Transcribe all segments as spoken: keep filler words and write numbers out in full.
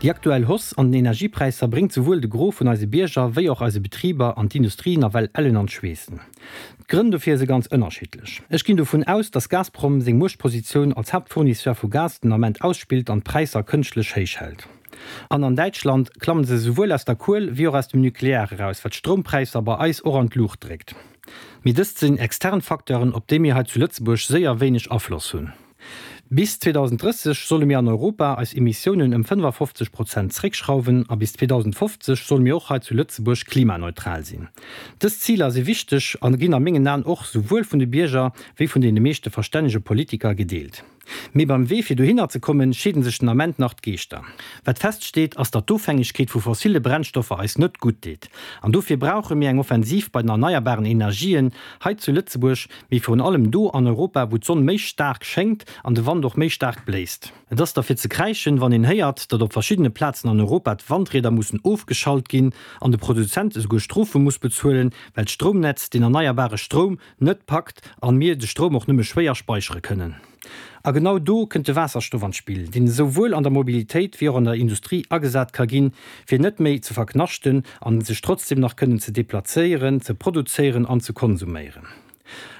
Déi aktuell Hausse an den Energiepräisser bréngt souwuel de Gros vun eise Bierger wéi och eise Betriber an d'Industrie nawell ellen an d'Schweessen. D'Grënn dofir si ganz ënnerschiddlech. Ech ginn dovun aus, datt Gazprom seng Muechtpositioun als Haaptfournisseur vu Gas den Ament ausspillt an d'Präisser kënschtlech héich hält. An an Däitschland klamme se souwuel aus der Kuel wéi och aus dem Nuklear eraus, wat d'Stroumpräisser bei eis och an d'Luucht dréckt. Mee dëst sinn extern Facteuren, op déi mir hei zu Lëtzebuerg séier wéineg Afloss hunn. Bis zweedausend drësseg solle mir an Europa eis Emissiounen ëm fënnefafofzeg Prozent zréckschrauwen a bis zweedausendfofzeg solle mir och hei zu Lëtzebuerg klimaneutral sinn. Dës Ziler si wichteg a ginn a mengen Aen och souwuel vun de Bierger wéi vun deene meeschte verstännege Politiker gedeelt. Mee beim Wee fir dohinner ze kommen, scheeden sech den Ament nach d'Geeschter. Wat feststeet, ass, datt d'Ofhängegkeet vu fossille Brennstoffer eis net gutt deet. An dofir brauche mir eng Offensiv bei den erneierbaren Energien, hei zu Lëtzebuerg, mee virun allem do an Europa, wou d'Sonn méi staark schéngt an de Wand och méi staark bléist. Et ass da fir ze kräischen, wann een héiert, datt op verschiddene Plazen an Europa d'Wandrieder mussen ofgeschalt ginn an de Produzent esouguer Strofe muss bezuelen, well d'Stroumnetz den erneierbare Stroum net packt an mir de Stroum och nëmme schwéier späichere kënnen. A genau do kënnt de Waasserstoff an d'Spill, deen esouwuel an der Mobilitéit wéi och an der Industrie agesat ka ginn, fir net méi ze verknaschten an sech trotzdem nach kënnen ze deplazéieren, ze produzéieren an ze konsuméieren.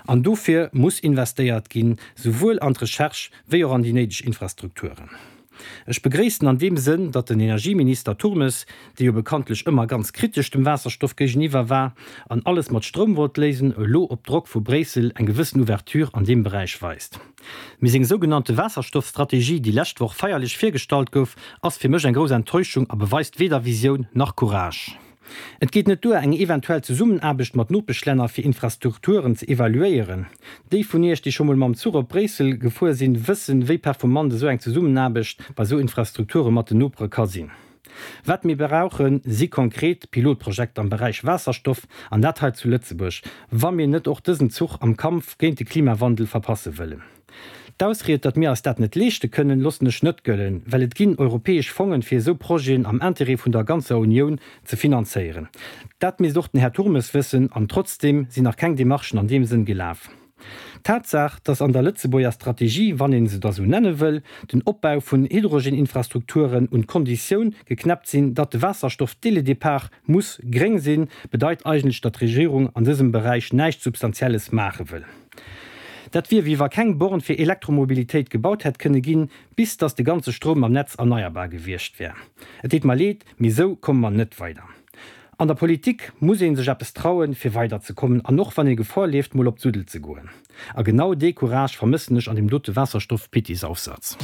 An dofir muss investéiert ginn, souwuel an d'Recherche wéi och an déi néideg Infrastrukturen. Ech begréissen an deem Sënn, datt den Energieminister Turmes, dee jo bekanntlech ëmmer ganz kritesch dem Waasserstoff géigeniwwer war an alles mat Stroum wollt léisen, elo op Drock vu Bréissel eng gewëssen Ouverture an deem Beräich weist. Mee seng sougenannte Waasserstoffstrategie, déi lescht Woch feierlech virgestallt gouf, ass fir mech eng grouss Enttäuschung a beweist weder Visioun nach Courage. Et geet net duer, eng eventuell Zesummenaarbecht mat Nopeschlänner fir Infrastrukturen ze evaluéieren. Déi vun Iech, déi scho mol mam Zuch op Bréissel gefuer sinn, wëssen, wéi performant esou eng Zesummenaarbecht bei esou Infrastrukture mat den Nopere ka sinn. Wat mir brauchen, si konkret Pilotprojekter am Beräich Waasserstoff, an dat hei zu Lëtzebuerg, wa mir net och dësen Zuch am Kampf géint de Klimawandel verpasse wëllen. D'Ausried, datt mir eis dat net leeschte kënnen, loossen ech net gëllen, well et ginn europäesch Fongen, fir esou Projeten am Interêt vun der ganzer Unioun ze finanzéieren. Dat misst och den Här Turmes wëssen, an trotzdeem sinn nach keng Demarchen an deem Sënn gelaf. D'Tatsaach, datt an der Lëtzebuerger Strategie, wann een se da sou nenne wëll, den Opbau vun Hydrogeninfrastrukturen un d'Konditioun geknäppt sinn, datt de Waasserstoff dès le départ muss gréng sinn, bedeit eigentlech, datt d'Regierung an dësem Beräich näischt Substantielles maache wëll. Dat wier, wéi wa keng Born fir Elektromobilitéit gebaut hätt kënne ginn, bis datt de ganze Stroum am Netz erneierbar gewiescht wär. Et deet mer leed, mee esou komme mer net weider. An der Politik muss ee sech eppes trauen, fir weiderzekommen, an och wann ee Gefor leeft, mol op d'Suddel ze goen. A genau dee Courage vermëssen ech an deem dote Waasserstoff-Pittisaufsatz.